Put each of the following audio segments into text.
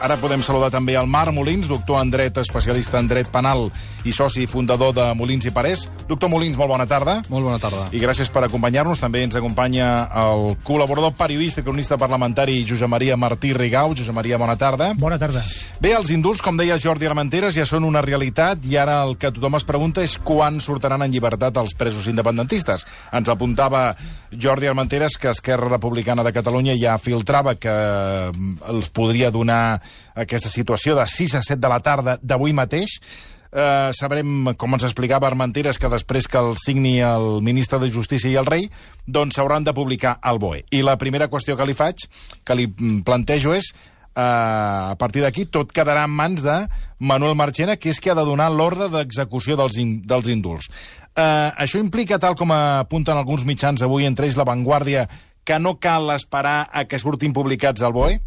Ara podem saludar també el Marc Molins, doctor en dret, especialista en dret penal i soci fundador de Molins i Parés. Doctor Molins, molt bona tarda. Molt bona tarda. I gràcies per acompanyar-nos. També ens acompanya el col·laborador periodista i cronista parlamentari Josep Maria Martí Rigau. Josep Maria, bona tarda. Bona tarda. Bé, els indults, com deia Jordi Armenteres, ja són una realitat i ara el que tothom es pregunta és quan sortiran en llibertat els presos independentistes. Ens apuntava Jordi Armenteres que Esquerra Republicana de Catalunya ja filtrava que els podria donar aquesta situació de 6 a 7 de la tarda d'avui mateix. Sabrem, com ens explicava Armenteres, que després que el signi el ministre de Justícia i el rei, doncs s'hauran de publicar al BOE. I la primera qüestió que li plantejo és, a partir d'aquí, tot quedarà en mans de Manuel Marchena, que és qui ha de donar l'ordre d'execució dels indults. Això implica, tal com apunten alguns mitjans avui, entre ells La Vanguardia, que no cal esperar a que surtin publicats al BOE?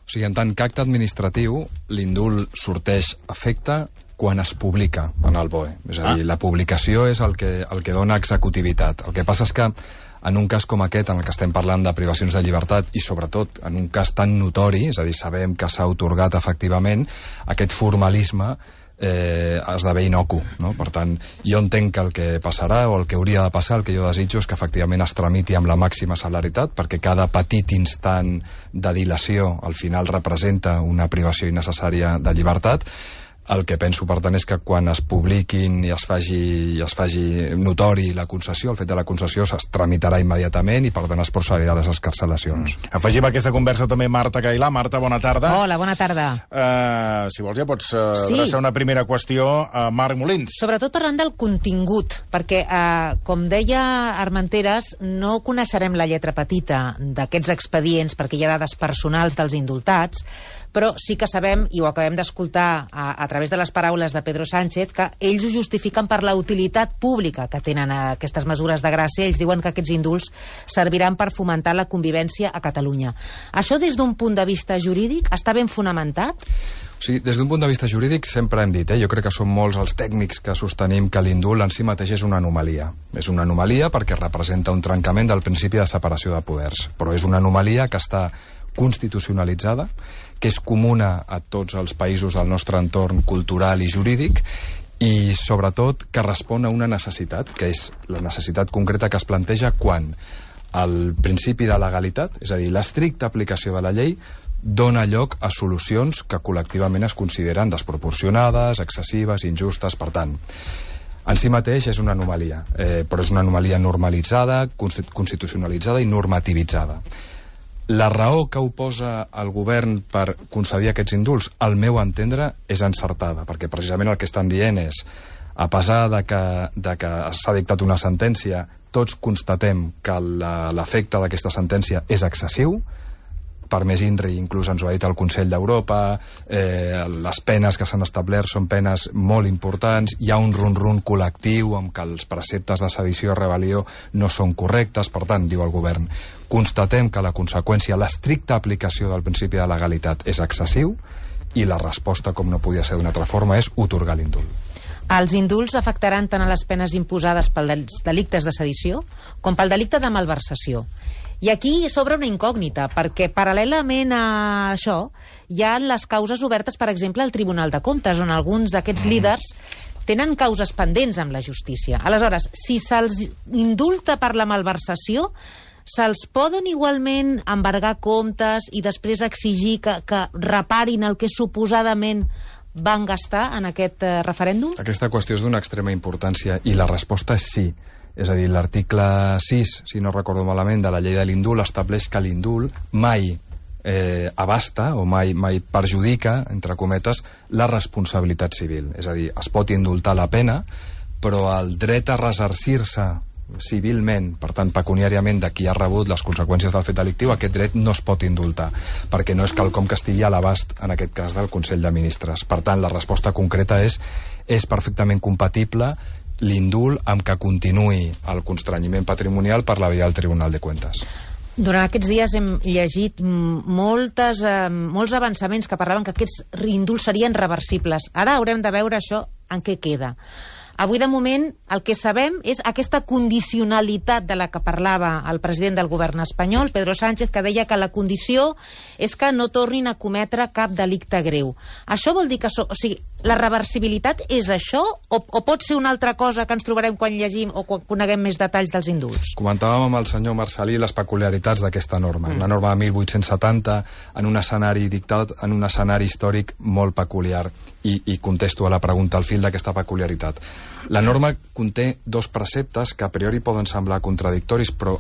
O sigui, en tant que acte administratiu, l'indult sorteix efecte quan es publica en el BOE. És a dir, la publicació és el que dona executivitat. El que passa és que en un cas com aquest, en el que estem parlant de privacions de llibertat, i sobretot en un cas tan notori, és a dir, sabem que s'ha atorgat efectivament, aquest formalisme esdevé inocu, no? Per tant, jo entenc que el que passarà, o el que hauria de passar, el que jo desitjo és que efectivament es tramiti amb la màxima celeritat, perquè cada petit instant de dilació al final representa una privació innecessària de llibertat. El que penso, per tant, és que quan es publiquin i es faci notori la concessió, el fet de la concessió es tramitarà immediatament i, per tant, es procedirà a les excarcelacions. Afegim a aquesta conversa també Marta Cailà. Marta, bona tarda. Hola, bona tarda. Si vols ja pots adreçar una primera qüestió a Marc Molins. Sobretot parlant del contingut, perquè, com deia Armenteres, no coneixerem la lletra petita d'aquests expedients perquè hi ha dades personals dels indultats, però sí que sabem, i ho acabem d'escoltar a través de les paraules de Pedro Sánchez, que ells ho justifiquen per la utilitat pública que tenen aquestes mesures de gràcia. Ells diuen que aquests indults serviran per fomentar la convivència a Catalunya. Això, des d'un punt de vista jurídic, està ben fonamentat? Sí, des d'un punt de vista jurídic sempre hem dit, jo crec que són molts els tècnics que sostenim que l'indult en si mateix és una anomalia. És una anomalia perquè representa un trencament del principi de separació de poders, però és una anomalia que està constitucionalitzada, que és comuna a tots els països del nostre entorn cultural i jurídic, i sobretot que respon a una necessitat, que és la necessitat concreta que es planteja quan el principi de legalitat, és a dir, l'estricta aplicació de la llei, dona lloc a solucions que col·lectivament es consideren desproporcionades, excessives, injustes. Per tant, en si mateix és una anomalia, però és una anomalia normalitzada, constitucionalitzada i normativitzada. La raó que oposa el govern per concedir aquests indults, al meu entendre, és encertada, perquè precisament el que estan dient és, a pesar de que s'ha dictat una sentència, tots constatem que l'efecte d'aquesta sentència és excessiu. Per més INRI, inclús ens ho ha dit el Consell d'Europa, les penes que s'han establert són penes molt importants, hi ha un run-run col·lectiu amb que els preceptes de sedició i rebel·lió no són correctes. Per tant, diu el govern, constatem que la conseqüència, l'estricta aplicació del principi de legalitat és excessiu, i la resposta, com no podia ser d'una altra forma, és otorgar l'indult. Els indults afectaran tant a les penes imposades pels delictes de sedició com pel delicte de malversació. I aquí s'obre una incògnita, perquè paral·lelament a això hi ha les causes obertes, per exemple, al Tribunal de Comptes, on alguns d'aquests líders tenen causes pendents amb la justícia. Aleshores, si se'ls indulta per la malversació, se'ls poden igualment embargar comptes i després exigir que reparin el que suposadament van gastar en aquest referèndum? Aquesta qüestió és d'una extrema importància i la resposta és sí. És a dir, l'article 6, si no recordo malament, de la llei de l'indult estableix que l'indult mai abasta o mai perjudica, entre cometes, la responsabilitat civil. És a dir, es pot indultar la pena, però el dret a ressarcir-se civilment, per tant pecuniàriament, de qui ha rebut les conseqüències del fet delictiu, aquest dret no es pot indultar, perquè no és quelcom que estigui a l'abast, en aquest cas, del Consell de Ministres. Per tant, la resposta concreta és perfectament compatible l'indult amb que continuï el constrenyiment patrimonial per la via del Tribunal de Cuentas. Durant aquests dies hem llegit molts avançaments que parlaven que aquests indults serien reversibles. Ara haurem de veure això en què queda. Avui, de moment, el que sabem és aquesta condicionalitat de la que parlava el president del govern espanyol, Pedro Sánchez, que deia que la condició és que no tornin a cometre cap delicte greu. Això vol dir que... O sigui, la reversibilitat és això o pot ser una altra cosa que ens trobarem quan llegim o quan coneguem més detalls dels indults? Comentàvem amb el senyor Marcelí les peculiaritats d'aquesta norma. Una norma de 1870 en un escenari dictat, en un escenari històric molt peculiar. I contesto a la pregunta al fil d'aquesta peculiaritat. La norma conté dos preceptes que a priori poden semblar contradictoris, però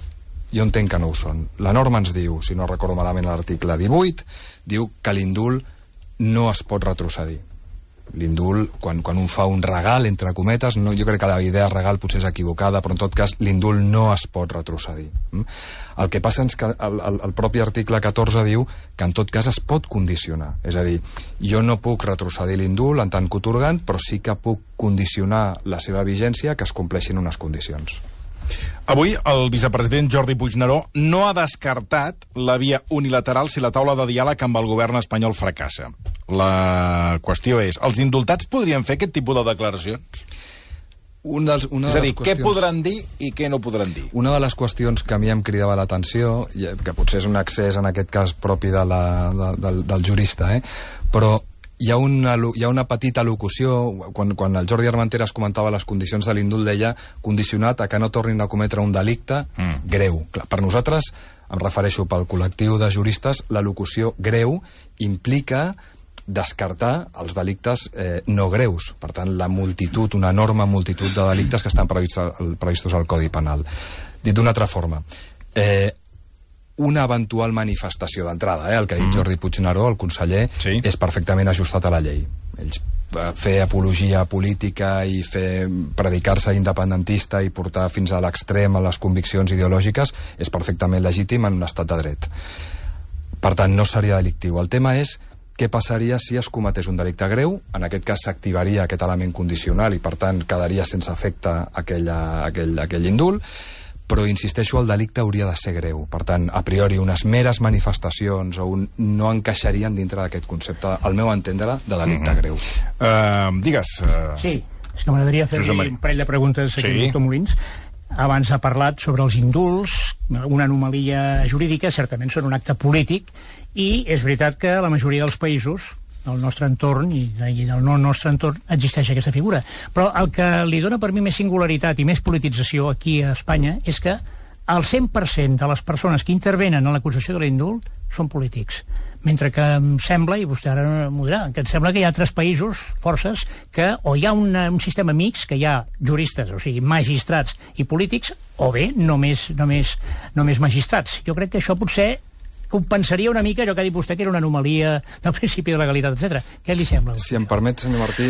jo entenc que no ho són. La norma ens diu, si no recordo malament l'article 18, diu que l'indult no es pot retrocedir. L'indult, quan un fa un regal, entre cometes, no, jo crec que la idea regal potser és equivocada, però en tot cas l'indult no es pot retrocedir. El que passa és que el propi article 14 diu que en tot cas es pot condicionar. És a dir, jo no puc retrocedir l'indult en tant que atorgant, però sí que puc condicionar la seva vigència que es compleixin unes condicions. Avui el vicepresident Jordi Puigneró no ha descartat la via unilateral si la taula de diàleg amb el govern espanyol fracassa. La qüestió és, els indultats podrien fer aquest tipus de declaracions? És a dir, què podran dir i què no podran dir? Una de les qüestions que a mi em cridava l'atenció, que potser és un accés en aquest cas propi del jurista, però hi ha una petita locució, quan el Jordi Armenteres comentava les condicions de l'indult, deia condicionat a que no tornin a cometre un delicte greu. Clar, per nosaltres, em refereixo pel col·lectiu de juristes, la locució greu implica descartar els delictes no greus. Per tant, la multitud, una enorme multitud de delictes que estan previstos al Codi Penal. Dit d'una altra forma, una eventual manifestació d'entrada, el que ha dit Jordi Puigneró, el conseller, sí, és perfectament ajustat a la llei. Ells fer apologia política i predicar-se independentista i portar fins a l'extrem a les conviccions ideològiques és perfectament legítim en un estat de dret. Per tant, no seria delictiu. El tema és què passaria si es cometés un delicte greu. En aquest cas s'activaria aquest element condicional i per tant quedaria sense efecte aquell indult, però insisteixo, el delicte hauria de ser greu. Per tant, a priori, unes meres manifestacions no encaixarien dintre d'aquest concepte, al meu entendre, de delicte greu. Digues. Sí, és que m'agradaria fer un parell de preguntes aquí al doctor Molins. Abans ha parlat sobre els indults, una anomalia jurídica, certament són un acte polític, i és veritat que la majoria dels països del nostre entorn i del no nostre entorn existeix aquesta figura. Però el que li dona per mi més singularitat i més politització aquí a Espanya és que el 100% de les persones que intervenen en l'acusació de l'indult són polítics. Mentre que em sembla, i vostè ara m'ho dirà, que em sembla que hi ha altres països, forces, que o hi ha un sistema mixt, que hi ha juristes, o sigui, magistrats i polítics, o bé només magistrats. Jo crec que això potser compensaria una mica allò que ha dit vostè, que era una anomalia del principi de legalitat, etc. Què li sembla? Si em permet, senyor Martí,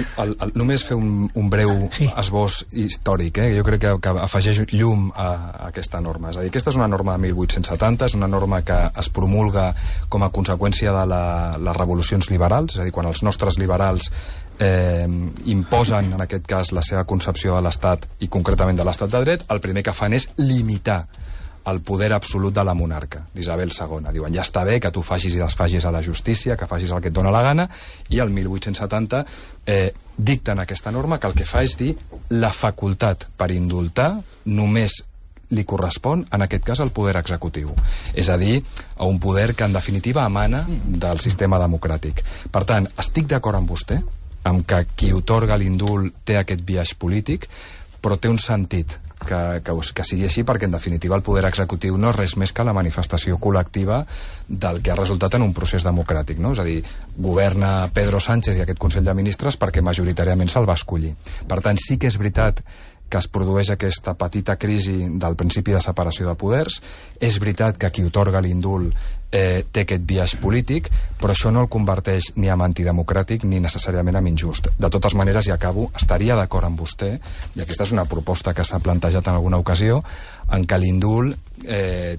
només fer un breu esbós històric. Jo crec que afegeix llum a aquesta norma. És a dir, aquesta és una norma de 1870, és una norma que es promulga com a conseqüència de les revolucions liberals, és a dir, quan els nostres liberals imposen, en aquest cas, la seva concepció de l'Estat i concretament de l'Estat de dret, el primer que fan és limitar el poder absolut de la monarca, d'Isabel II. Diuen, ja està bé que tu facis i desfagis a la justícia, que facis el que et dóna la gana, i el 1870 dicten aquesta norma que el que fa és dir la facultat per indultar només li correspon, en aquest cas, al poder executiu. És a dir, a un poder que, en definitiva, emana del sistema democràtic. Per tant, estic d'acord amb vostè, amb que qui otorga l'indult té aquest biaix polític, però té un sentit que sigui així, perquè en definitiva el poder executiu no és res més que la manifestació col·lectiva del que ha resultat en un procés democràtic, no? És a dir, governa Pedro Sánchez i aquest Consell de Ministres perquè majoritàriament se'l va escollir. Per tant, sí que és veritat que es produeix aquesta petita crisi del principi de separació de poders. És veritat que qui otorga l'indult té aquest biaix polític, però això no el converteix ni en antidemocràtic ni necessàriament en injust. De totes maneres, i acabo, estaria d'acord amb vostè, i aquesta és una proposta que s'ha plantejat en alguna ocasió, en què l'indult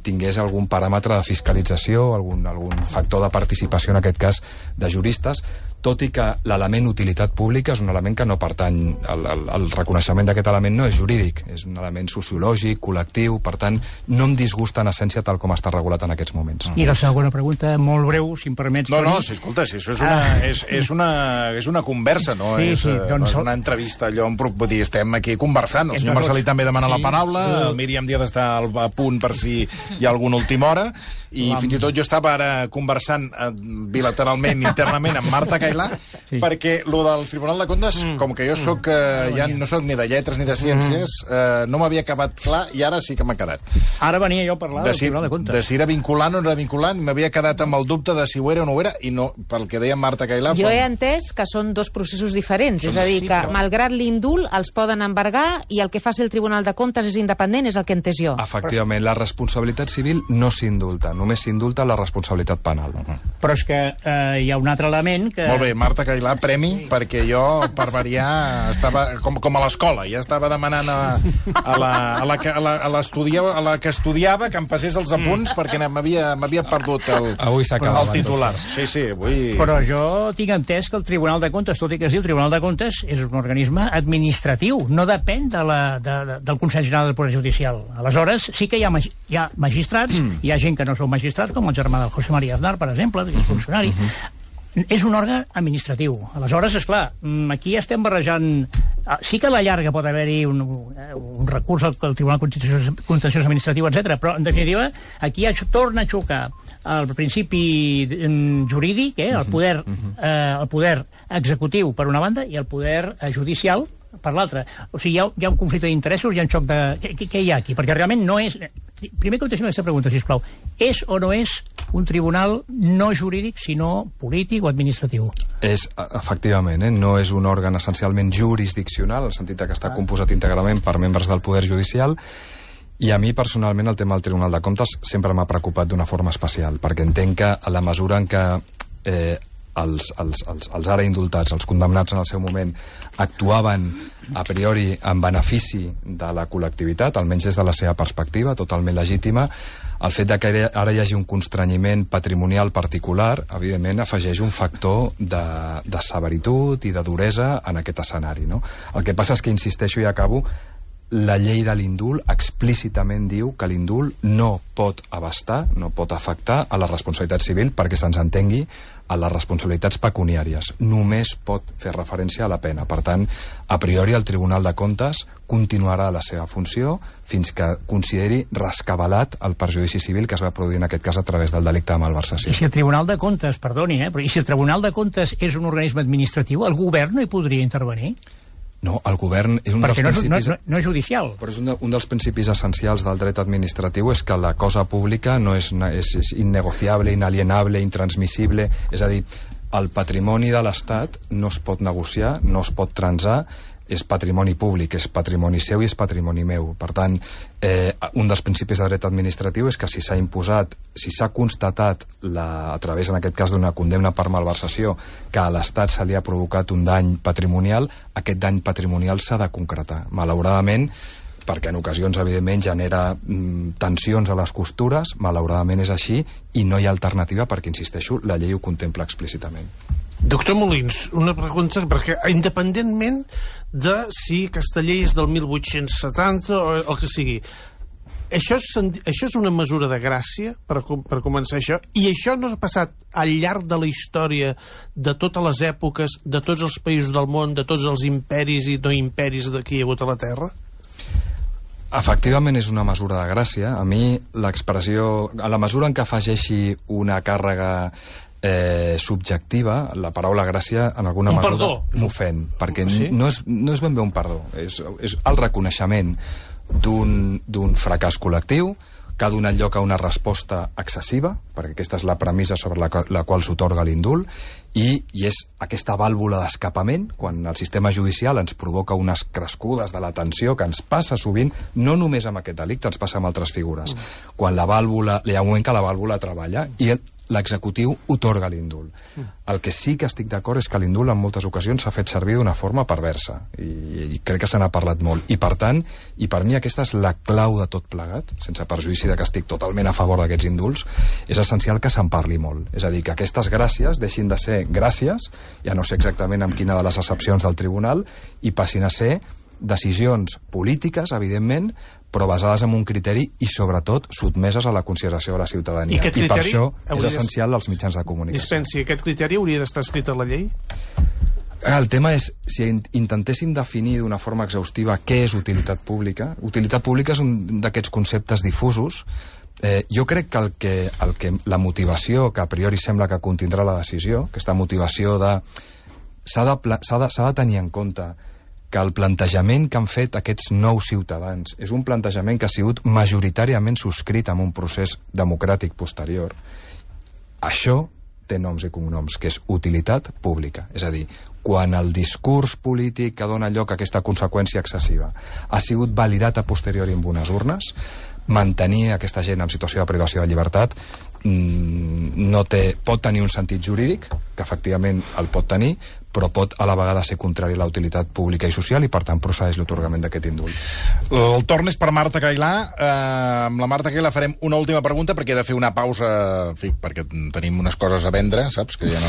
tingués algun paràmetre de fiscalització, algun factor de participació, en aquest cas, de juristes, tot i que l'element utilitat pública és un element que no pertany, el reconeixement d'aquest element no és jurídic, és un element sociològic, col·lectiu, per tant, no em disgusta en essència tal com està regulat en aquests moments. I la segona pregunta, molt breu, si em permets, Toni. No, sí, escolta, si això és una conversa, no és una entrevista, allò on vull dir, estem aquí conversant. El senyor Marcelí també demana la paraula, el Míriam Díaz està a punt per si hi ha alguna última hora, i fins i tot jo estava ara conversant bilateralment, internament, amb Marta Cailà, perquè lo del Tribunal de Comptes, com que jo ja no soc ni de lletres ni de ciències, no m'havia acabat clar, i ara sí que m'ha quedat. Ara venia jo a parlar del Tribunal de Comptes. De si era vinculant o no era vinculant, m'havia quedat amb el dubte de si ho era o no ho era, i no, pel que deia Marta Cailà... Jo he entès que són dos processos diferents, és a dir, que malgrat l'indult els poden embargar, i el que faci el Tribunal de Comptes és independent, és el que he entès jo. Efectivament, la responsabilitat civil no s'indulta, només s'indulta la responsabilitat penal. Però és que hi ha un altre element que... Molt bé, Marta Cailà, premi, perquè jo, per variar, estava com a l'escola, ja estava demanant a la que estudiava que em passés els apunts perquè m'havia perdut el titular. Sí, avui... Però jo tinc entès que el Tribunal de Comptes, tot i que es diu Tribunal de Comptes, és un organisme administratiu, no depèn del Consell General del Poder Judicial. Aleshores, sí que hi ha magistrats, hi ha gent que no són magistrats, com el germà del José María Aznar, per exemple, que és funcionari. És un òrgan administratiu. Aleshores, esclar, aquí estem barrejant... Sí que a la llarga pot haver-hi un recurs al Tribunal Contenciós Administratiu, etc. Però, en definitiva, aquí torna a xocar el principi jurídic, el poder executiu per una banda i el poder judicial per l'altra. O sigui, hi ha un conflicte d'interessos, hi ha un xoc de... Què hi ha aquí? Perquè realment no és... Primer contestem aquesta pregunta, sisplau. És o no és un tribunal no jurídic, sinó polític o administratiu? És, efectivament, no és un òrgan essencialment jurisdiccional, en el sentit que està composat íntegrament per membres del Poder Judicial, i a mi, personalment, el tema del Tribunal de Comptes sempre m'ha preocupat d'una forma especial, perquè entenc que a la mesura en què els ara indultats, els condemnats en el seu moment, actuaven a priori en benefici de la col·lectivitat, almenys des de la seva perspectiva, totalment legítima, el fet que ara hi hagi un constrenyiment patrimonial particular, evidentment, afegeix un factor de severitud i de duresa en aquest escenari, no? El que passa és que, insisteixo i acabo, la llei de l'indult explícitament diu que l'indult no pot abastar, no pot afectar a la responsabilitat civil, perquè se'ns entengui, a les responsabilitats pecuniàries. Només pot fer referència a la pena. Per tant, a priori, el Tribunal de Comptes continuarà la seva funció fins que consideri rescabalat el perjudici civil que es va produir en aquest cas a través del delicte de malversació. I si el Tribunal de Comptes, perdoni, però i si el Tribunal de Comptes és un organisme administratiu, el govern no hi podria intervenir? No, el govern és un dels principis... no és judicial. Però és un dels principis essencials del dret administratiu, és que la cosa pública no és innegociable, inalienable, intransmissible. És a dir, el patrimoni de l'Estat no es pot negociar, no es pot transar, és patrimoni públic, és patrimoni seu i és patrimoni meu. Per tant, un dels principis de dret administratiu és que si s'ha imposat, si s'ha constatat a través, en aquest cas, d'una condemna per malversació, que a l'Estat se li ha provocat un dany patrimonial, aquest dany patrimonial s'ha de concretar. Malauradament, perquè en ocasions, evidentment, genera tensions a les costures, malauradament és així, i no hi ha alternativa perquè, insisteixo, la llei ho contempla explícitament. Doctor Molins, una pregunta, perquè independentment de si aquesta llei és del 1870 o el que sigui, això és una mesura de gràcia per començar això, i això no ha passat al llarg de la història de totes les èpoques, de tots els països del món, de tots els imperis i no imperis que hi ha hagut a la Terra? Efectivament és una mesura de gràcia. A mi l'expressió, a la mesura en què afegeixi una càrrega subjectiva, la paraula gràcia en alguna mesura m'ofèn, perquè no és ben bé un perdó, és el reconeixement d'un fracàs col·lectiu que ha donat lloc a una resposta excessiva, perquè aquesta és la premissa sobre la qual s'atorga l'indult, i és aquesta vàlvula d'escapament, quan el sistema judicial ens provoca unes crescudes de la tensió que ens passa sovint, no només amb aquest delicte, ens passa amb altres figures. Quan la vàlvula, hi ha un moment que la vàlvula treballa, i l'executiu otorga l'indult. El que sí que estic d'acord és que l'indult en moltes ocasions s'ha fet servir d'una forma perversa, i crec que se n'ha parlat molt, i per tant, i per mi aquesta és la clau de tot plegat, sense perjudici de que estic totalment a favor d'aquests indults, és essencial que se'n parli molt. És a dir, que aquestes gràcies deixin de ser gràcies, ja no sé exactament amb quina de les excepcions del tribunal, i passin a ser decisions polítiques, evidentment, però basades en un criteri i, sobretot, sotmeses a la consideració de la ciutadania. I per això és essencial els mitjans de comunicació. Dispensi, aquest criteri hauria d'estar escrit a la llei? El tema és, si intentéssim definir d'una forma exhaustiva què és utilitat pública és un d'aquests conceptes difusos. Jo crec que la motivació, que a priori sembla que contindrà la decisió, aquesta motivació de... s'ha de tenir en compte que el plantejament que han fet aquests nous ciutadans és un plantejament que ha sigut majoritàriament subscrit en un procés democràtic posterior. Això té noms i cognoms, que és utilitat pública. És a dir, quan el discurs polític que dona lloc a aquesta conseqüència excessiva ha sigut validat a posteriori amb unes urnes, mantenir aquesta gent en situació de privació de llibertat pot tenir un sentit jurídic, que efectivament el pot tenir, però pot a la vegada ser contrari a la utilitat pública i social, i per tant procedeix l'atorgament d'aquest indult. El torn és per Marta Cailà. Amb la Marta Cailà farem una última pregunta, perquè he de fer una pausa, en fi, perquè tenim unes coses a vendre, saps? Que hi ha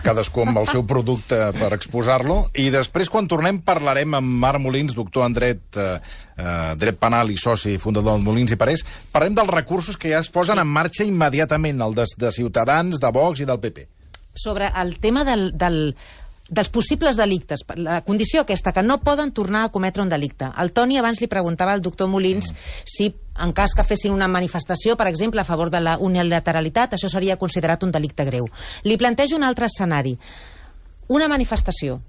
cadascú amb el seu producte per exposar-lo, i després, quan tornem, parlarem amb Marc Molins, doctor en dret penal i soci fundador del Molins i Parés. Parlem dels recursos que ja es posen en marxa immediatament, el de Ciutadans, de Vox i del PP. Sobre el tema dels possibles delictes, la condició aquesta, que no poden tornar a cometre un delicte. El Toni abans li preguntava al doctor Molins si, en cas que fessin una manifestació, per exemple, a favor de la unilateralitat, això seria considerat un delicte greu. Li plantejo un altre escenari. Una manifestació,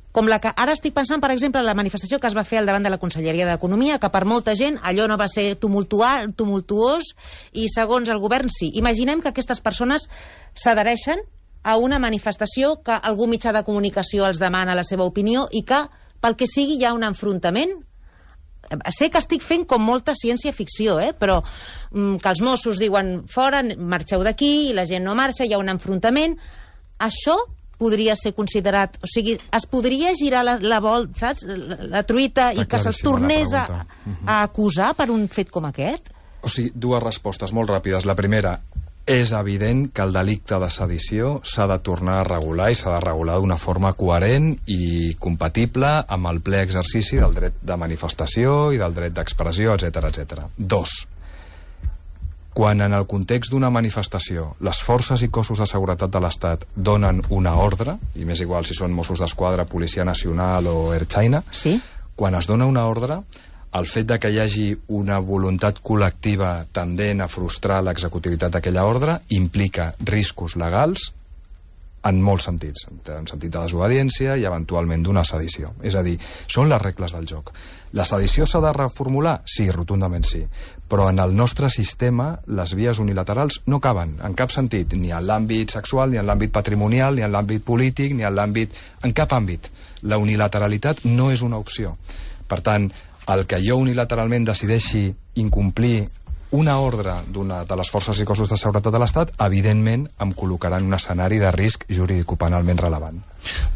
com la que ara estic pensant, per exemple, la manifestació que es va fer al davant de la Conselleria d'Economia, que per molta gent allò no va ser tumultuós, i segons el govern sí. Imaginem que aquestes persones s'adhereixen a una manifestació, que algú mitjà de comunicació els demana la seva opinió i que, pel que sigui, hi ha un enfrontament. Sé que estic fent com molta ciència-ficció, però que els Mossos diuen fora, marxeu d'aquí, i la gent no marxa, hi ha un enfrontament. Això podria ser considerat... O sigui, es podria girar la volta, saps? La truita, i que se'ls tornés a acusar per un fet com aquest? O sigui, dues respostes molt ràpides. La primera, és evident que el delicte de sedició s'ha de tornar a regular, i s'ha de regular d'una forma coherent i compatible amb el ple exercici del dret de manifestació i del dret d'expressió, etc etc. Dos, quan en el context d'una manifestació les forces i cossos de seguretat de l'Estat donen una ordre, i m'és igual si són Mossos d'Esquadra, Policia Nacional o Ertzaina, sí? Quan es dona una ordre, el fet de que hi hagi una voluntat col·lectiva tendent a frustrar l'executivitat d'aquella ordre implica riscos legals en molts sentits, en sentit de desobediència i eventualment d'una sedició. És a dir, són les regles del joc. La sedició s'ha de reformular? Sí, rotundament sí. Però en el nostre sistema les vies unilaterals no caben, en cap sentit, ni en l'àmbit sexual, ni en l'àmbit patrimonial, ni en l'àmbit polític, ni en l'àmbit... En cap àmbit. La unilateralitat no és una opció. Per tant, el que jo unilateralment decideixi incomplir una ordre de les forces i cossos de seguretat de l'Estat, evidentment em col·locarà en un escenari de risc jurídico-penalment relevant.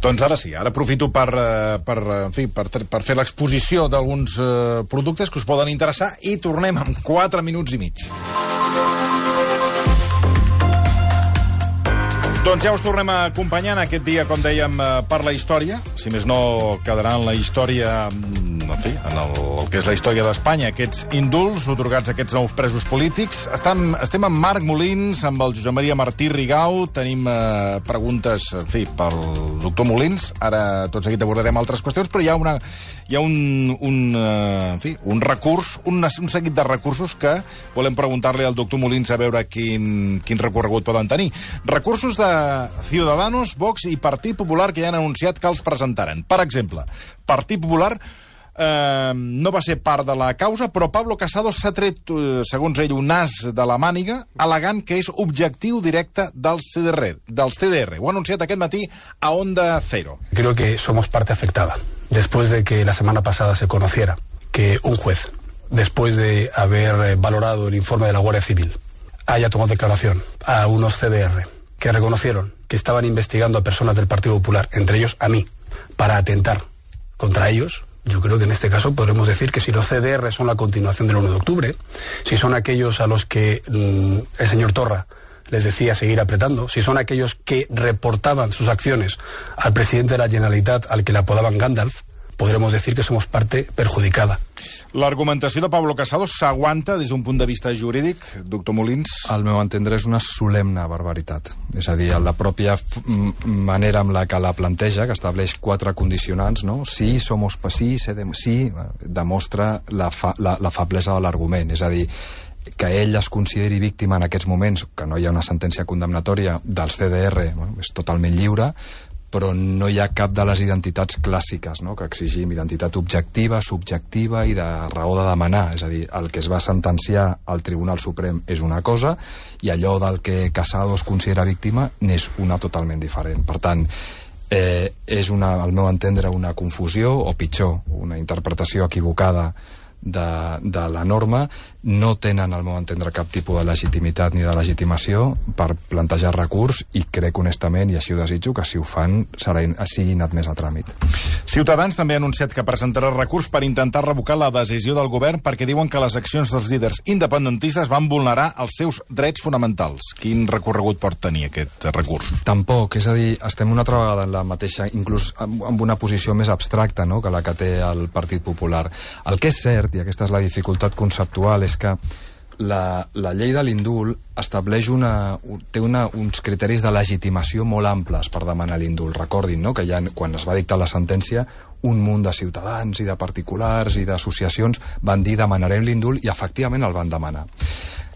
Doncs ara sí, ara aprofito per fer l'exposició d'alguns productes que us poden interessar, i tornem en 4 minuts i mig. Doncs ja us tornem a acompanyar en aquest dia, com dèiem, per la història. Si més no, quedarà en la història, en fi, en el que és la història d'Espanya, aquests indults otorgats a aquests nous presos polítics. Estem amb Marc Molins, amb el Josep Maria Martí Rigau. Tenim preguntes, en fi, pel doctor Molins. Ara tot seguit abordarem altres qüestions, però hi ha un recurs, un seguit de recursos que volem preguntar-li al doctor Molins a veure quin recorregut poden tenir. Recursos de Ciudadanos, Vox i Partit Popular, que ja han anunciat que els presentaran. Per exemple, Partit Popular no va ser part de la causa, però Pablo Casado s'ha tret, segons ell, un as de la màniga, al·legant que és objectiu directe dels CDR. Ho ha anunciat aquest matí a Onda Cero. Creo que somos parte afectada. Después de que la semana pasada se conociera que un juez, después de haber valorado el informe de la Guardia Civil, haya tomado declaración a unos CDR que reconocieron que estaban investigando a personas del Partido Popular, entre ellos a mí, para atentar contra ellos, yo creo que en este caso podremos decir que si los CDR son la continuación del 1 de octubre, si son aquellos a los que el señor Torra les decía seguir apretando, si son aquellos que reportaban sus acciones al presidente de la Generalitat, al que le apodaban Gandalf, podremos decir que somos parte perjudicada. L'argumentació de Pablo Casado s'aguanta des d'un punt de vista jurídic, doctor Molins? Al meu entendre és una solemne barbaritat. És a dir, la pròpia manera amb la que la planteja, que estableix 4 condicionants, no? Sí, somos sí, demostra la feblesa de l'argument. És a dir, que ell es consideri víctima en aquests moments, que no hi ha una sentència condemnatòria dels CDR, és totalment lliure, però no hi ha cap de les identitats clàssiques, no?, que exigim identitat objectiva, subjectiva i de raó de demanar. És a dir, el que es va sentenciar al Tribunal Suprem és una cosa i allò del que Casado es considera víctima n'és una totalment diferent. Per tant, és, al meu entendre, una confusió, o pitjor, una interpretació equivocada de la norma. No tenen, al meu entendre, cap tipus de legitimitat ni de legitimació per plantejar recurs i crec honestament, i així ho desitjo, que si ho fan siguin admès a tràmit. Ciutadans també ha anunciat que presentarà recurs per intentar revocar la decisió del govern perquè diuen que les accions dels líders independentistes van vulnerar els seus drets fonamentals. Quin recorregut pot tenir aquest recurs? Tampoc, és a dir, estem una altra vegada en la mateixa, inclús amb una posició més abstracta, no?, que la que té el Partit Popular. El que és cert, i aquesta és la dificultat conceptual, és que la llei de l'indult estableix té uns criteris de legitimació molt amples per demanar l'indult. Recordin, no?, que ja quan es va dictar la sentència un munt de ciutadans i de particulars i d'associacions van dir demanarem l'indult i efectivament el van demanar.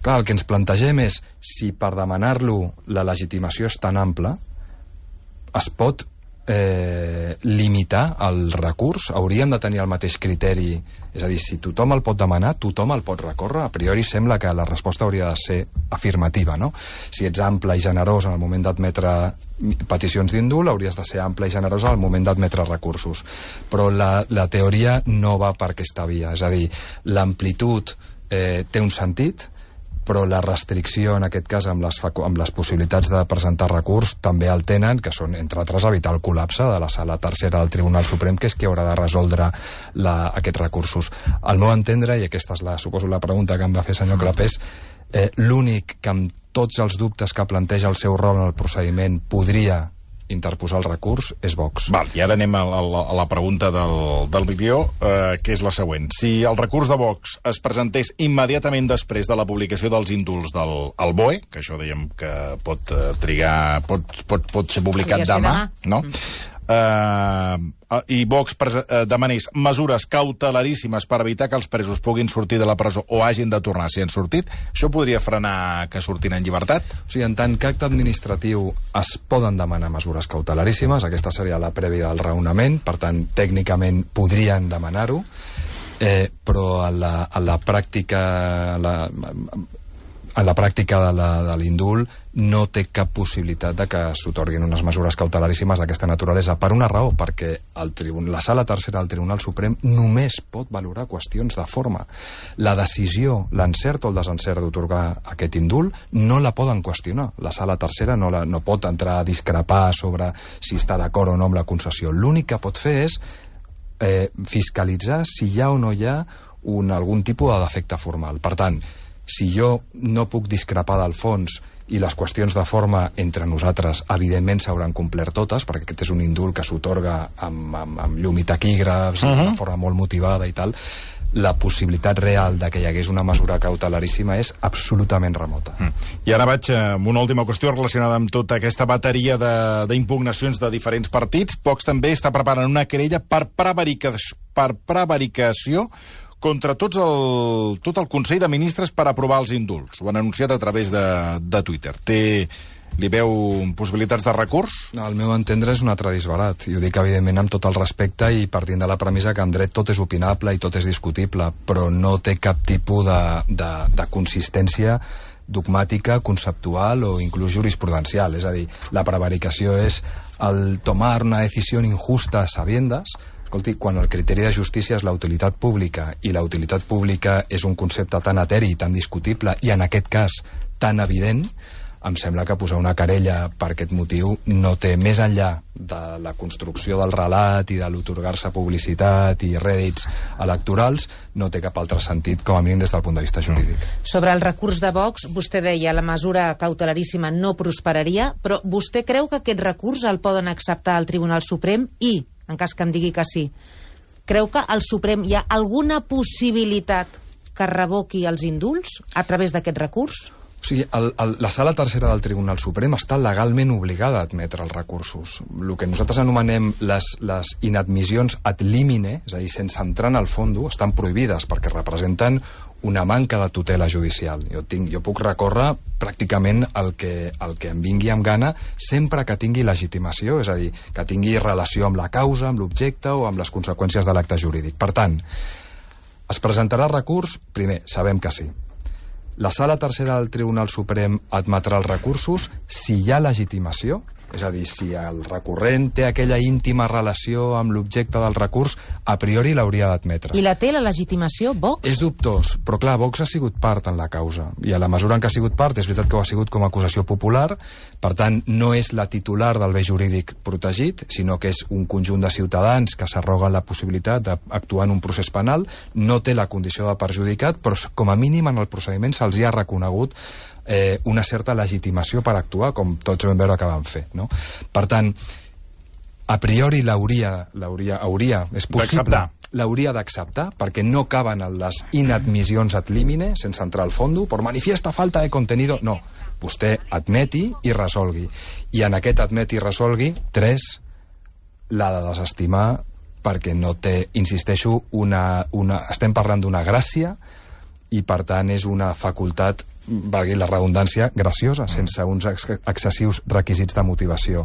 Clar, el que ens plantegem és si per demanar-lo la legitimació és tan ampla es pot limitar el recurs, hauríem de tenir el mateix criteri, és a dir, si tothom el pot demanar, tothom el pot recórrer. A priori sembla que la resposta hauria de ser afirmativa, no? Si ets ample i generós en el moment d'admetre peticions d'indult, hauries de ser ample i generós al moment d'admetre recursos. Però la teoria no va per aquesta via, és a dir, l'amplitud té un sentit, però la restricció, en aquest cas, amb les possibilitats de presentar recurs, també el tenen, que són, entre altres, evitar el col·lapse de la sala tercera del Tribunal Suprem, que és qui haurà de resoldre aquests recursos. Al meu entendre, i aquesta és, suposo, la pregunta que em va fer senyor Clapés, l'únic que amb tots els dubtes que planteja el seu rol en el procediment podria interposar el recurs és Vox. Val, i ara anem a la pregunta del vídeo, que és la següent. Si el recurs de Vox es presentés immediatament després de la publicació dels indults del BOE, que això dèiem que pot trigar, pot ser publicat demà, no? I Vox demanés mesures cautelaríssimes per evitar que els presos puguin sortir de la presó o hagin de tornar si han sortit, això podria frenar que surtin en llibertat? O sigui, en tant que acte administratiu es poden demanar mesures cautelaríssimes, aquesta seria la prèvia del raonament, per tant, tècnicament podrien demanar-ho, però a la pràctica de l'indult no té cap possibilitat de que s'otorguin unes mesures cautelaríssimes d'aquesta naturalesa, per una raó, perquè la sala tercera del Tribunal Suprem només pot valorar qüestions de forma. La decisió, l'encert o el desencert d'otorgar aquest indult no la poden qüestionar. La sala tercera no pot entrar a discrepar sobre si està d'acord o no amb la concessió. L'únic que pot fer és fiscalitzar si hi ha o no hi ha algun tipus de defecte formal. Per tant, si jo no puc discrepar del fons i les qüestions de forma entre nosaltres evidentment s'hauran complert totes, perquè aquest és un indult que s'otorga amb llum i taquígrafs, de forma molt motivada i tal, la possibilitat real de que hi hagués una mesura cautelaríssima és absolutament remota. I ara vaig amb una última qüestió relacionada amb tota aquesta bateria d'impugnacions de diferents partits. Vox també està preparant una querella per prevaricació contra tot el Consell de Ministres per aprovar els indults. Ho han anunciat a través de Twitter. Li veu possibilitats de recurs? No, al meu entendre és un altre disbarat. Jo dic, evidentment, amb tot el respecte i partint de la premissa que en dret tot és opinable i tot és discutible, però no té cap tipus de consistència dogmàtica, conceptual o inclús jurisprudencial. És a dir, la prevaricació és el tomar una decisió injusta a sabiendas. Escolti, quan el criteri de justícia és la utilitat pública i la utilitat pública és un concepte tan eteri i tan discutible i en aquest cas tan evident, em sembla que posar una querella per aquest motiu no té, més enllà de la construcció del relat i de l'otorgar-se publicitat i rèdits electorals, no té cap altre sentit, com a mínim des del punt de vista jurídic. Sobre el recurs de Vox, vostè deia la mesura cautelaríssima no prosperaria, però vostè creu que aquest recurs el poden acceptar al Tribunal Suprem i, en cas que em digui que sí, creu que al Suprem hi ha alguna possibilitat que revoqui els indults a través d'aquest recurs? O sigui, la sala tercera del Tribunal Suprem està legalment obligada a admetre els recursos. El que nosaltres anomenem les inadmissions ad limine, és a dir, sense entrar en el fondo, estan prohibides perquè representen una manca de tutela judicial. Jo puc recórrer pràcticament el que em vingui amb gana sempre que tingui legitimació, és a dir, que tingui relació amb la causa, amb l'objecte o amb les conseqüències de l'acte jurídic. Per tant, es presentarà recurs? Primer, sabem que sí. La sala tercera del Tribunal Suprem admetrà els recursos si hi ha legitimació, és a dir, si el recurrent té aquella íntima relació amb l'objecte del recurs, a priori l'hauria d'admetre. I la té la legitimació, Vox? És dubtós, però clar, Vox ha sigut part en la causa, i a la mesura en què ha sigut part, és veritat que ho ha sigut com a acusació popular, per tant, no és la titular del bé jurídic protegit, sinó que és un conjunt de ciutadans que s'arroguen la possibilitat d'actuar en un procés penal, no té la condició de perjudicat, però com a mínim en el procediment se'ls hi ha reconegut una certa legitimació per actuar, com tots vam veure que van fer, no? Per tant, a priori és possible, l'hauria d'acceptar, perquè no caben en les inadmissions ad limine, sense entrar al fondo, por manifiesta falta de contenido, no, vostè admeti i resolgui, i en aquest admeti i resolgui, 3 l'ha de desestimar perquè no té, insisteixo, estem parlant d'una gràcia i per tant és una facultat, valgui la redundància, graciosa, sense uns excessius requisits de motivació.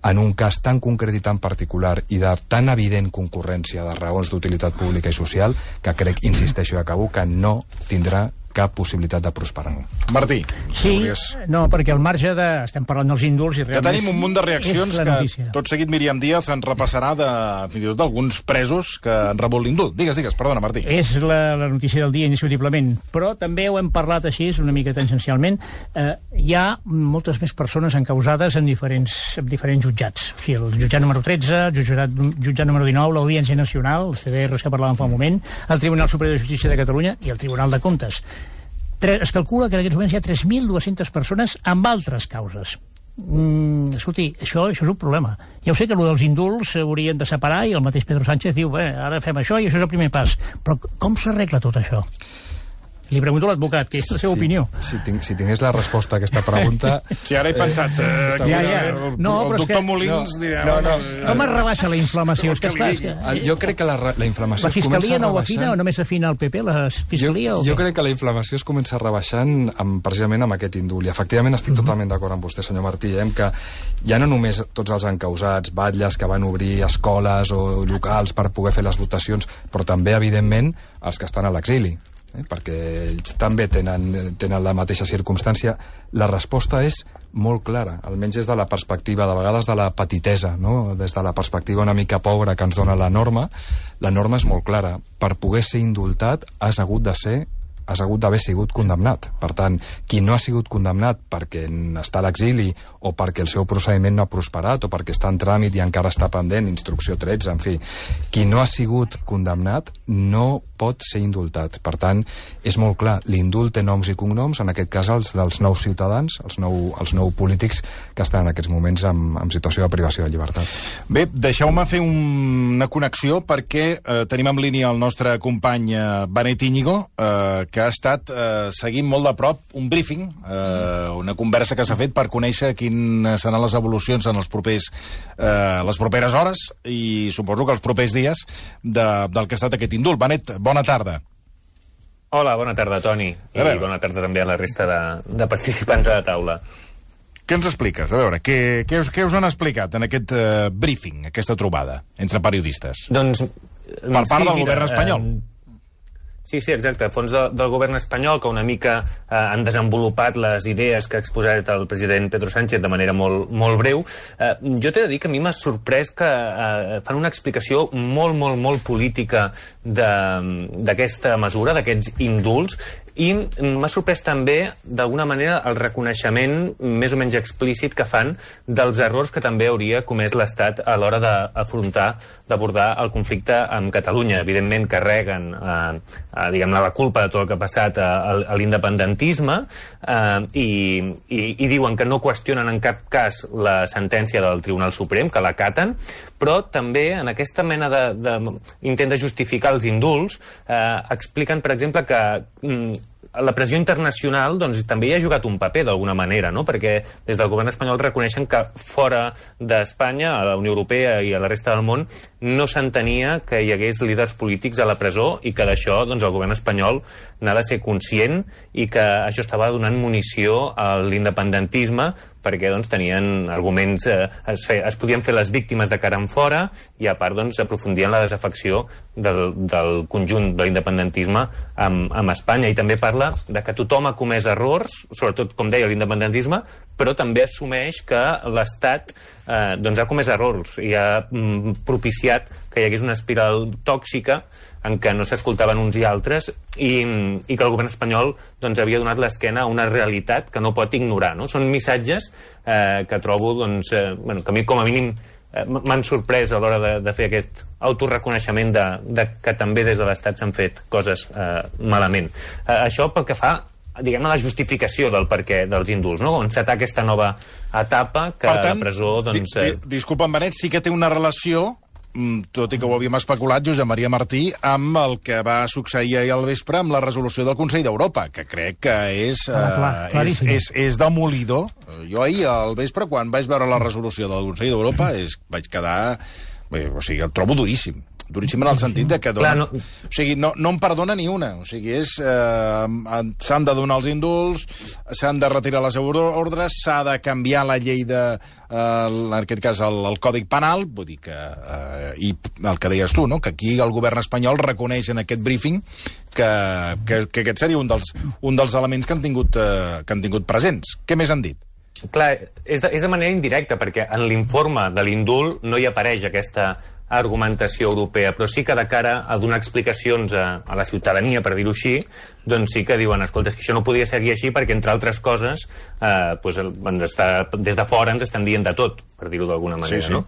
En un cas tan concret i tan particular i de tan evident concurrència de raons d'utilitat pública i social que crec, insisteixo i acabo, que no tindrà cap possibilitat de prosperar. Martí. Sí, no, perquè al marge de... Estem parlant dels indults i realment... Ja tenim un munt de reaccions que tot seguit Míriam Díaz en repassarà fins i tot d'alguns presos que han rebut l'indult. Digues, perdona, Martí. És la notícia del dia, indiscutiblement. Però també ho hem parlat així, una mica tangencialment. Hi ha moltes més persones encausades en diferents jutjats. O sigui, el jutjat número 13, el jutjat número 19, l'Audiència Nacional, el CDR que parlàvem fa un moment, el Tribunal Superior de Justícia de Catalunya i el Tribunal de Comptes. Es calcula que en aquests moments hi ha 3.200 persones amb altres causes. Escolti, això és un problema. Ja ho sé que allò dels indults s'haurien de separar i el mateix Pedro Sánchez diu, ara fem això i això és el primer pas. Però com s'arregla tot això? Li pregunto a l'advocat, que és la seva opinió. Si tingués la resposta a aquesta pregunta... Sí, ara he pensat... El doctor Molins dirà... Com es rebaixa la inflamació? Jo crec que la inflamació es comença rebaixant... La Fiscalia no ho afina o només afina el PP, la Fiscalia? Jo crec que la inflamació es comença rebaixant precisament amb aquest indult. I efectivament estic totalment d'acord amb vostè, senyor Martí, que ja no només tots els encausats, batlles que van obrir escoles o locals per poder fer les votacions, però també, evidentment, els que estan a l'exili. Perquè ells també tenen la mateixa circumstància. La resposta és molt clara, almenys des de la perspectiva, de vegades de la petitesa, no? Des de la perspectiva una mica pobra que ens dona la norma és molt clara. Per poder ser indultat has hagut d'haver sigut condemnat. Per tant, qui no ha sigut condemnat perquè està a l'exili o perquè el seu procediment no ha prosperat o perquè està en tràmit i encara està pendent, instrucció 13, en fi, qui no ha sigut condemnat no pot ser indultat. Per tant, és molt clar, l'indult té noms i cognoms, en aquest cas els dels nous ciutadans, els nou polítics que estan en aquests moments en situació de privació de llibertat. Bé, deixeu-me fer una connexió perquè tenim en línia el nostre company Benet Íñigo, que ha estat seguint molt de prop un briefing, una conversa que s'ha fet per conèixer quines seran les evolucions en les properes hores i suposo que els propers dies del que ha estat aquest indult. Benet, bona tarda. Hola, bona tarda, Toni. I bona tarda també a la resta de participants a la taula. Què ens expliques? A veure, què us han explicat en aquest briefing, aquesta trobada entre periodistes? Doncs... Per part del govern espanyol. Sí, exacte. Fons del govern espanyol, que una mica han desenvolupat les idees que ha exposat el president Pedro Sánchez de manera molt, molt breu. Jo t'he de dir que a mi m'ha sorprès que fan una explicació molt política d'aquesta mesura, d'aquests indults, I m'ha sorprès també, d'alguna manera, el reconeixement més o menys explícit que fan dels errors que també hauria comès l'Estat a l'hora d'abordar el conflicte amb Catalunya. Evidentment, carreguen diguem-ne, la culpa de tot el que ha passat a l'independentisme i diuen que no qüestionen en cap cas la sentència del Tribunal Suprem, que l'acaten, però també en aquesta mena d'intent de justificar els indults expliquen, per exemple, que la pressió internacional doncs, també hi ha jugat un paper d'alguna manera, no? Perquè des del govern espanyol reconeixen que fora d'Espanya, a la Unió Europea i a la resta del món, no s'entenia que hi hagués líders polítics a la presó i que d'això doncs, el govern espanyol n'ha de ser conscient i que això estava donant munició a l'independentisme perquè doncs, tenien arguments, es podien fer les víctimes de cara en fora i a part doncs, aprofundien la desafecció del conjunt de l'independentisme amb Espanya. I també parla de que tothom ha comès errors, sobretot, com deia, l'independentisme, però també assumeix que l'Estat doncs, ha comès errors i ha propiciat que hi hagués una espiral tòxica en què no s'escoltaven uns i altres i que el govern espanyol doncs, havia donat l'esquena a una realitat que no pot ignorar. No? Són missatges que trobo doncs, bueno, que a mi com a mínim m'han sorprès a l'hora de fer aquest autoreconeixement de que també des de l'Estat s'han fet coses malament. Això pel que fa diguem-ne, la justificació del perquè dels indults, no? On s'atà aquesta nova etapa que per tant, la presó... Doncs, disculpa'm, Benet, sí que té una relació, tot i que ho havíem especulat, Josep Maria Martí, amb el que va succeir ahir al vespre amb la resolució del Consell d'Europa, que crec que és demolidor. Jo ahir al vespre, quan vaig veure la resolució del Consell d'Europa, vaig quedar... O sigui, el trobo duríssim. Duríssim en el sentit de que dona... Clar, no... O sigui, no em perdona ni una. O sigui, s'han de donar els indults, s'han de retirar les ordres, s'ha de canviar la llei de... en aquest cas, el Còdic Penal, vull dir que... I el que deies tu, no?, que aquí el govern espanyol reconeix en aquest briefing que aquest seria un dels elements que han tingut presents. Què més han dit? Clar, és de manera indirecta, perquè en l'informe de l'indult no hi apareix aquesta argumentació europea, però sí que de cara a donar explicacions a la ciutadania, per dir-ho així, doncs sí que diuen, escolta, és que això no podia seguir així perquè, entre altres coses, des de fora ens estan dient de tot, per dir-ho d'alguna manera, sí, sí. No?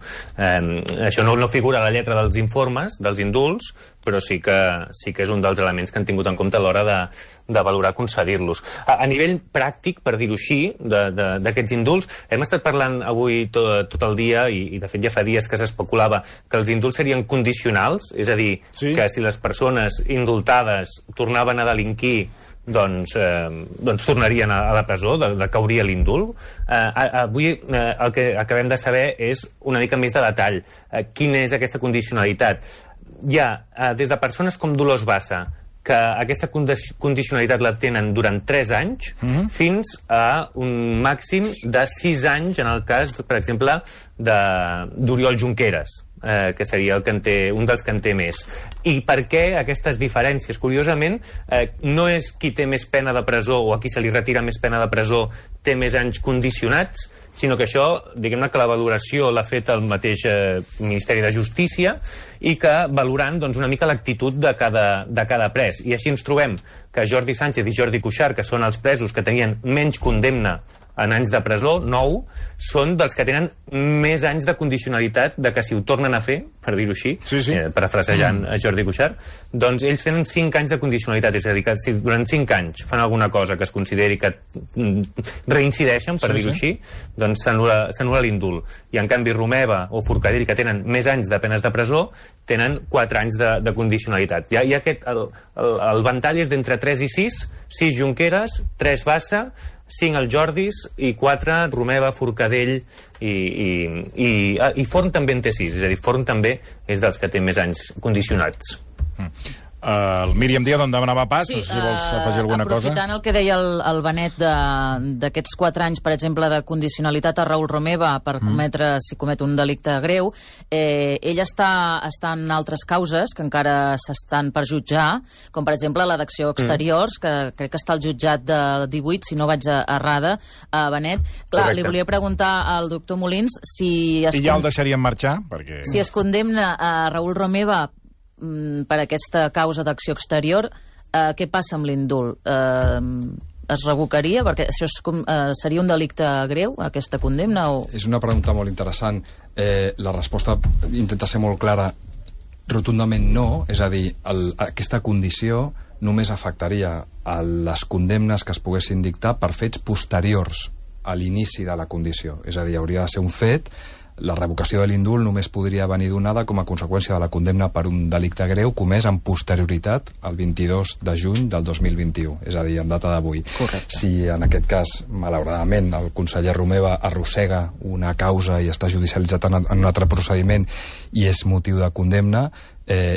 Això no figura a la lletra dels informes, dels indults, però sí que és un dels elements que han tingut en compte a l'hora de valorar concedir-los. A nivell pràctic, per dir-ho així, d'aquests indults, hem estat parlant avui tot el dia, i de fet ja fa dies que s'especulava que els indults serien condicionals, és a dir, sí, que si les persones indultades tornaven a delinquir, doncs tornarien a la presó, de cauria l'indult. Avui el que acabem de saber és una mica més de detall. Quina és aquesta condicionalitat? Hi ha des de persones com Dolors Bassa, que aquesta condicionalitat la tenen durant 3 anys, fins a un màxim de 6 anys en el cas, per exemple, d'Oriol Junqueras, que seria un dels que en té més. I per què aquestes diferències? Curiosament, no és qui té més pena de presó o a qui se li retira més pena de presó té més anys condicionats, sinó que això, diguem-ne que la valoració l'ha fet el mateix Ministeri de Justícia i que valorant doncs, una mica l'actitud de cada pres. I així ens trobem que Jordi Sánchez i Jordi Cuixart, que són els presos que tenien menys condemna en anys de presó, 9, són dels que tenen més anys de condicionalitat de que si ho tornen a fer, per dir-ho així, parafrasejant a Jordi Cuixart, doncs ells tenen 5 anys de condicionalitat, és a dir, que si durant 5 anys fan alguna cosa que es consideri que reincideixen, per dir-ho així, doncs s'anul·la l'indult. I en canvi Romeva o Forcadell, que tenen més anys de penes de presó, tenen 4 anys de condicionalitat. El ventall és d'entre 3 i 6, 6 Junqueras, 3 Bassa, 5 els Jordis i 4 Romeva, Forcadell i Forn també en té 6, és a dir, Forn també és dels que té més anys condicionats. Míriam Díaz, on demanava pas, sí, no sé si vols afegir alguna cosa. Aprofitant el que deia el Benet d'aquests 4 anys, per exemple, de condicionalitat a Raül Romeva per cometre, si comet un delicte greu, ell està en altres causes que encara s'estan per jutjar, com per exemple la d'acció exteriors, que crec que està al jutjat de 18, si no vaig errada, a Benet. Clar, li volia preguntar al doctor Molins si ja el deixarien marxar, perquè... Si es condemna a Raül Romeva per aquesta causa d'acció exterior, Què passa amb l'indult? Es revocaria? Perquè això seria un delicte greu, aquesta condemna? És una pregunta molt interessant. La resposta intenta ser molt clara. Rotundament no, és a dir, aquesta condició només afectaria a les condemnes que es poguessin dictar per fets posteriors a l'inici de la condició. És a dir, hauria de ser un fet. La revocació de l'indult només podria venir donada com a conseqüència de la condemna per un delicte greu comès amb posterioritat al 22 de juny del 2021, és a dir, en data d'avui. Si en aquest cas, malauradament, el conseller Romeva arrossega una causa i està judicialitzat en un altre procediment i és motiu de condemna,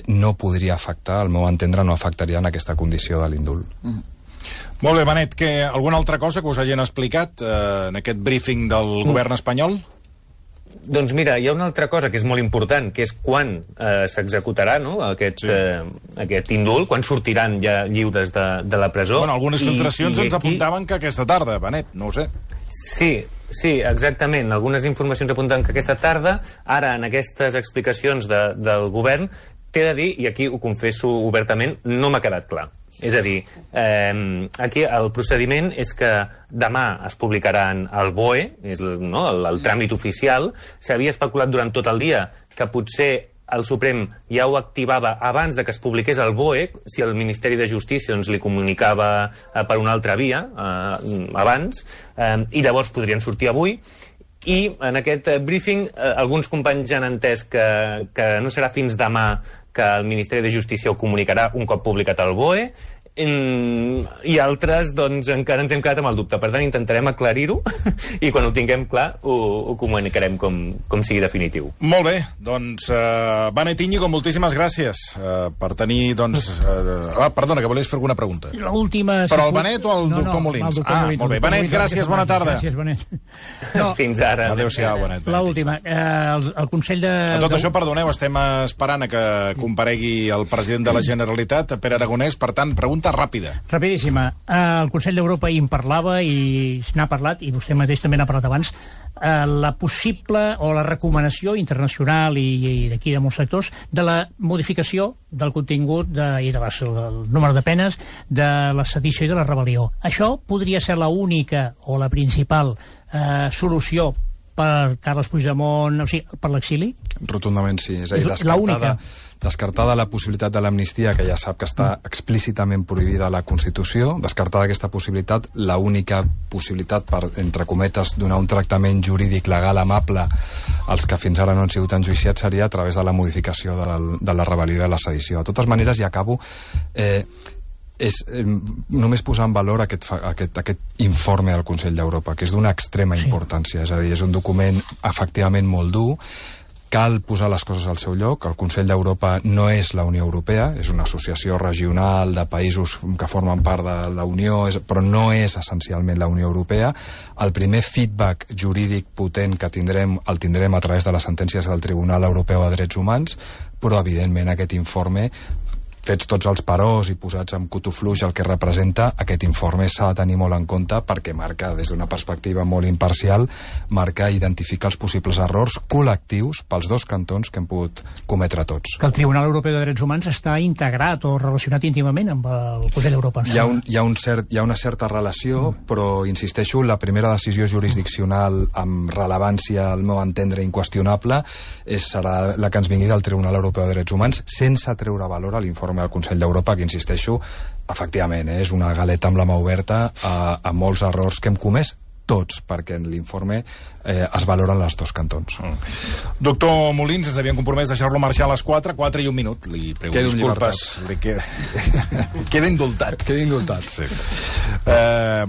no podria afectar, al meu entendre, no afectaria en aquesta condició de l'indult. Molt bé, Benet, alguna altra cosa que us hagin explicat en aquest briefing del govern espanyol? Doncs mira, hi ha una altra cosa que és molt important, que és quan s'executarà, no?, aquest indult, quan sortiran ja lliures de la presó. Bueno, algunes filtracions ens apuntaven que aquesta tarda, Benet, no ho sé. Sí, exactament. Algunes informacions apunten que aquesta tarda, ara en aquestes explicacions del govern, t'he de dir, i aquí ho confesso obertament, no m'ha quedat clar. És a dir, aquí el procediment és que demà es publicaran al BOE, és el tràmit oficial. S'havia especulat durant tot el dia que potser el Suprem ja ho activava abans de que es publiqués al BOE, si el Ministeri de Justícia li comunicava per una altra via abans, i llavors podrien sortir avui. I en aquest briefing alguns companys ja han entès que no serà fins demà que el Ministeri de Justícia ho comunicarà un cop publicat al BOE, i altres, doncs, encara ens hem quedat amb el dubte. Per tant, intentarem aclarir-ho i quan ho tinguem clar ho comunicarem com sigui definitiu. Molt bé, doncs, Benet Íñigo, moltíssimes gràcies per tenir, doncs... perdona, que volies fer alguna pregunta. L'última... Però el Benet o el doctor Molins? Molt bé. Benet, gràcies, bona tarda. Gràcies, Benet. Fins ara. Adéu-siau, Benet. L'última. El Consell de... A tot això, perdoneu, estem esperant que comparegui el president de la Generalitat, Pere Aragonès, per tant, pregunta ràpida. Rapidíssima. El Consell d'Europa hi en parlava i n'ha parlat, i vostè mateix també n'ha parlat abans, la possible o la recomanació internacional i d'aquí de molts sectors de la modificació del contingut i del número de penes de la sedició i de la rebel·lió. Això podria ser la única o la principal solució per Carles Puigdemont, o sigui, per l'exili? Rotundament sí. És a dir, descartada la possibilitat de l'amnistia, que ja sap que està explícitament prohibida a la Constitució, descartada aquesta possibilitat, l'única possibilitat per, entre cometes, donar un tractament jurídic legal amable als que fins ara no han sigut enjuiciats seria a través de la modificació de la rebel·lió i de la sedició. De totes maneres, i acabo, només posar en valor aquest informe del Consell d'Europa, que és d'una extrema importància, és a dir, és un document efectivament molt dur. Cal posar les coses al seu lloc. El Consell d'Europa no és la Unió Europea, és una associació regional de països que formen part de la Unió, però no és essencialment la Unió Europea. El primer feedback jurídic potent que tindrem el tindrem a través de les sentències del Tribunal Europeu de Drets Humans, però evidentment aquest informe, fets tots els peròs i posats amb cotofluix el que representa, aquest informe s'ha de tenir molt en compte perquè marca, des d'una perspectiva molt imparcial, marca i identifica els possibles errors col·lectius pels dos cantons que hem pogut cometre tots. Que el Tribunal Europeu de Drets Humans està integrat o relacionat íntimament amb el Consell d'Europa. Hi ha una certa relació, però insisteixo, la primera decisió jurisdiccional amb rellevància, al meu entendre, inqüestionable, serà la que ens vingui del Tribunal Europeu de Drets Humans, sense treure valor a l'informe del Consell d'Europa, que insisteixo, efectivament, és una galeta amb la mà oberta a molts errors que hem comès tots, perquè en l'informe es valoren els dos cantons. Doctor Molins, ens havíem compromès deixar-lo marxar a les 4 i 1 minut. Li prego disculpes. Queda indultat. Queda indultat. Sí.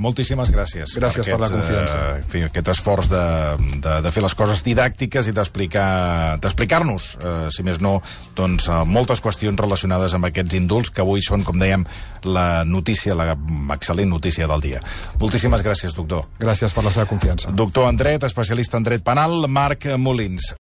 Moltíssimes gràcies. Gràcies per la confiança. Aquest esforç de fer les coses didàctiques i d'explicar-nos, si més no, doncs, moltes qüestions relacionades amb aquests indults, que avui són, com dèiem, la notícia, la excel·lent notícia del dia. Moltíssimes gràcies, doctor. Gràcies per la seva confiança. Doctor en dret, especialista en dret penal, Marc Molins.